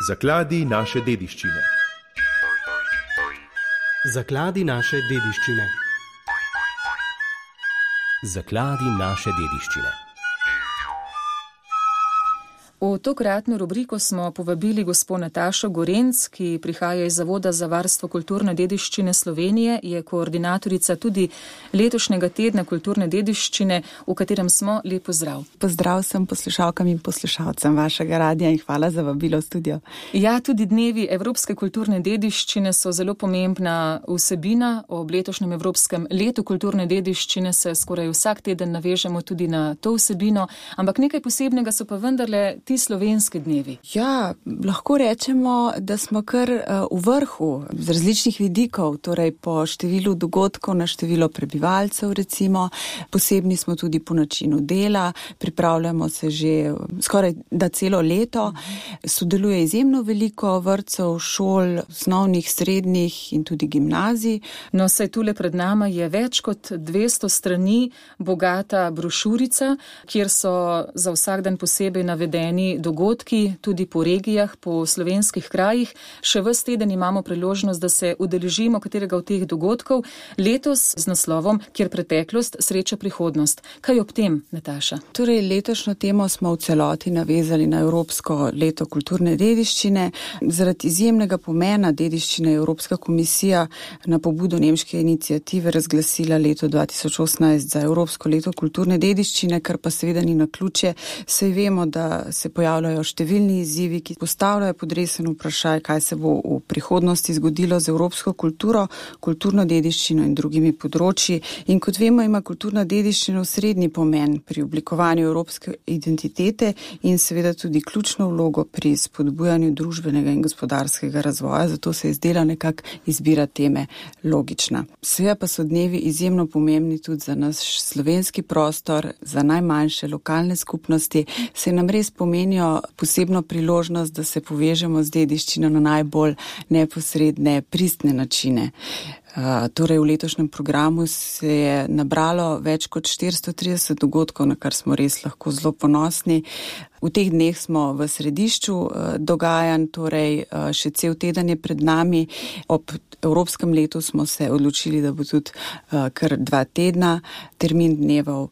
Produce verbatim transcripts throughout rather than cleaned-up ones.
Zakladi naše dediščine. Zakladi naše dediščine. Zakladi naše dediščine. V tokratno rubriko smo povabili gospo Natašo Gorenc, ki prihaja iz Zavoda za varstvo kulturne dediščine Slovenije, je koordinatorica tudi letošnjega tedna kulturne dediščine, v katerem smo. Lep pozdrav. Pozdrav sem poslušalkam in poslušalcem vašega radija in hvala za vabilo v studio. Ja, tudi dnevi evropske kulturne dediščine so zelo pomembna vsebina. Ob letošnjem Evropskem letu kulturne dediščine se skoraj vsak teden navežemo tudi na to vsebino, ampak nekaj posebnega so pa vendarle ti slovenski dnevi. Ja, lahko rečemo, da smo kar v vrhu z različnih vidikov, torej po številu dogodkov na število prebivalcev recimo. Posebni smo tudi po načinu dela, pripravljamo se že skoraj da celo leto. Sodeluje izjemno veliko vrtcev, šol, osnovnih, srednjih in tudi gimnazij. No, saj tule pred nama je več kot dvesto strani bogata brošurica, kjer so za vsak dan posebej navedeni dogodki, tudi po regijah, po slovenskih krajih. Še ves teden imamo priložnost, da se udeležimo katerega od teh dogodkov, letos z naslovom Kjer preteklost sreča prihodnost. Kaj ob tem, Nataša? Torej, letošnjo temo smo v celoti navezali na Evropsko leto kulturne dediščine. Zaradi izjemnega pomena dediščine je Evropska komisija na pobudo nemške iniciative razglasila leto dva tisoč osemnajst za Evropsko leto kulturne dediščine, kar pa seveda ni naključje. Saj vemo, da se pojavljajo številni izzivi, ki postavljajo podresen vprašaj, kaj se bo v prihodnosti zgodilo z evropsko kulturo, kulturno dediščino in drugimi področji. In kot vemo, ima kulturna dediščina osrednji pomen pri oblikovanju evropske identitete in seveda tudi ključno vlogo pri spodbujanju družbenega in gospodarskega razvoja, zato se je zdela nekak izbira teme logična. Seveda pa so dnevi izjemno pomembni tudi za naš slovenski prostor, za najmanjše lokalne skupnosti, se nam res pomenijo posebno priložnost, da se povežemo z dediščino na najbolj neposredne, pristne načine. Uh, torej v letošnjem programu se je nabralo več kot štiristo trideset dogodkov, na kar smo res lahko zelo ponosni. V teh dneh smo v središču uh, dogajanj, torej uh, še cel teden je pred nami. Ob Evropskem letu smo se odločili, da bo tudi uh, kar dva tedna termin dnevov.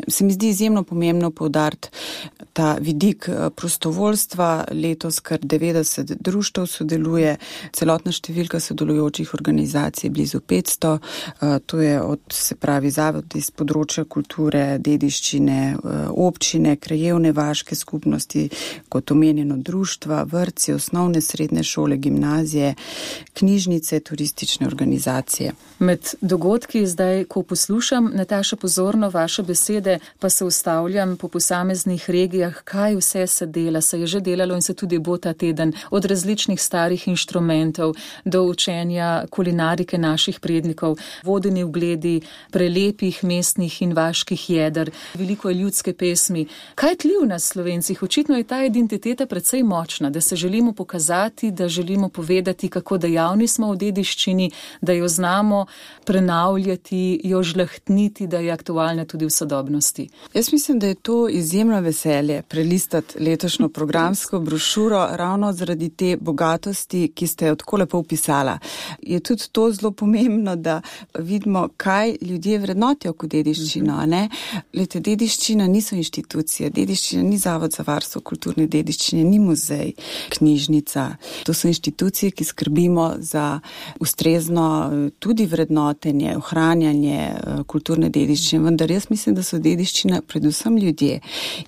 Se mi zdi izjemno pomembno poudariti ta vidik prostovoljstva. Letos kar devetdeset društev sodeluje, celotna številka sodelujočih organizacij blizu petsto. To je od, se pravi, zavod iz področja kulture, dediščine, občine, krajevne vaške skupnosti, kot omenjeno društva, vrtci, osnovne, srednje šole, gimnazije, knjižnice, turistične organizacije. Med dogodki zdaj, ko poslušam, Nataša, pozorno vaše besede, pa se ustavljam po posameznih regijah, kaj vse se dela, se je že delalo in se tudi bo ta teden, od različnih starih inštrumentov do učenja kulinarike naših prednikov, vodeni ugledi prelepih mestnih in vaških jeder, veliko je ljudske pesmi. Kaj tli v nas Slovencih? Očitno je ta identiteta precej močna, da se želimo pokazati, da želimo povedati, kako dejavni smo v dediščini, da jo znamo prenavljati, jo žlahtniti, da je aktualna tudi v sodobnosti. Jaz mislim, da je to izjemno veselje prelistati letošnjo programsko brošuro ravno zaradi te bogatosti, ki ste jo tako lepo opisala. Je tudi to zelo pomembno, da vidimo, kaj ljudje vrednotijo kot dediščino. Ne? Lete, dediščina niso inštitucije, dediščina ni Zavod za varstvo kulturne dediščine, ni muzej, knjižnica. To so inštitucije, ki skrbimo za ustrezno tudi vrednotenje, ohranjanje kulturne dediščine, vendar jaz mislim, da so dediščina predvsem ljudje.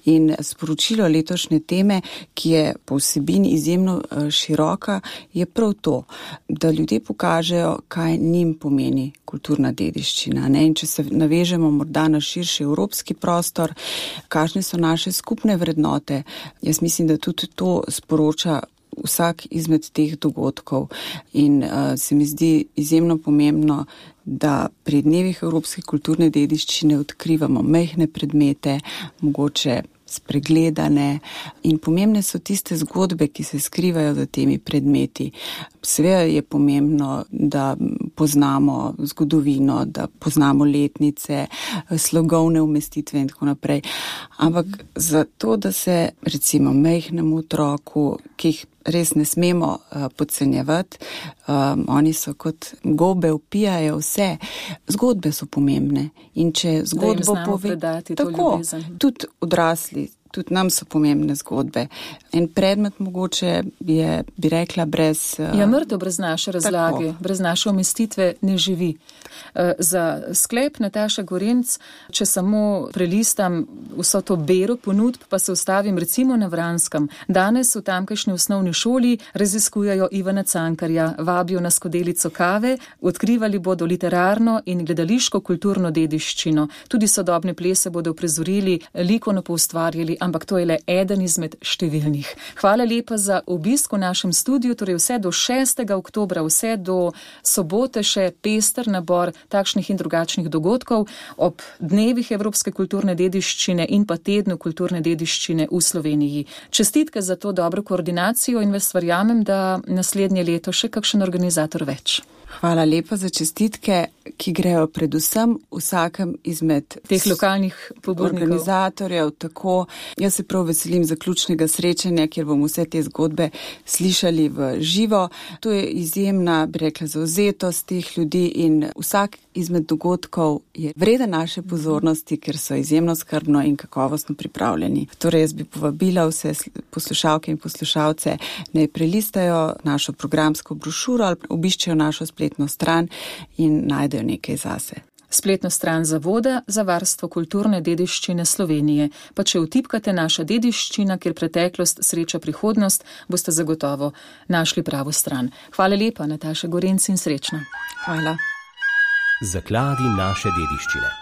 In sporočilo letošnje teme, ki je po vsebini izjemno široka, je prav to, da ljudje pokažejo, kaj njim pomeni kulturna dediščina. Ne? In če se navežemo morda na širši evropski prostor, kakšne so naše skupne vrednote, jaz mislim, da tudi to sporoča vsak izmed teh dogodkov. In uh, se mi zdi izjemno pomembno, da pri dnevih evropske kulturne dediščine odkrivamo majhne predmete, mogoče spregledane, in pomembne so tiste zgodbe, ki se skrivajo za temi predmeti. Seveda je pomembno, da poznamo zgodovino, da poznamo letnice, slogovne umestitve in tako naprej. Ampak zato, da se recimo majhnemu otroku, ki jih res ne smemo uh, podcenjevati, um, oni so kot gobe, vpijajo vse. Zgodbe so pomembne in če zgodbo pove, tako, tudi odrasli, tudi nam so pomembne zgodbe. En predmet mogoče je, bi rekla, brez... Uh, ja, mrtev brez naše razlage, tako. Brez naše umestitve ne živi. Uh, za sklep Nataša Gorenc, če samo prelistam vso to bero ponudb, pa se ustavim recimo na Vranskem. Danes v tamkajšnji osnovni šoli raziskujejo Ivana Cankarja, vabijo na skodelico kave, odkrivali bodo literarno in gledališko kulturno dediščino. Tudi sodobne plese bodo prizorili, likovno poustvarjali, ampak to je le eden izmed številnih. Hvala lepa za obisk v našem studiu, torej vse do šestega oktobra, vse do sobote še pester nabor takšnih in drugačnih dogodkov ob dnevih Evropske kulturne dediščine in pa tednu kulturne dediščine v Sloveniji. Čestitke za to dobro koordinacijo in vas verjamem, da naslednje leto še kakšen organizator več. Hvala lepa za čestitke, ki grejo predvsem vsakem izmed teh lokalnih pobudnikov, organizatorjev. Tako, jaz se prav veselim zaključnega srečanja, kjer bomo vse te zgodbe slišali v živo. To je izjemna, bi rekla, zauzetost teh ljudi in vsak izmed dogodkov je vreden naše pozornosti, ker so izjemno skrbno in kakovostno pripravljeni. Torej, jaz bi povabila vse poslušalke in poslušalce, naj prelistajo našo programsko brošuro ali obiščejo našo spletno stran in najdejo nekaj zase. Spletno stran Zavoda za varstvo kulturne dediščine Slovenije. Pa če vtipkate naša dediščina, kjer preteklost sreča prihodnost, boste zagotovo našli pravo stran. Hvala lepa, Nataša Gorenc, in srečno. Hvala. Zakladi naše dediščine.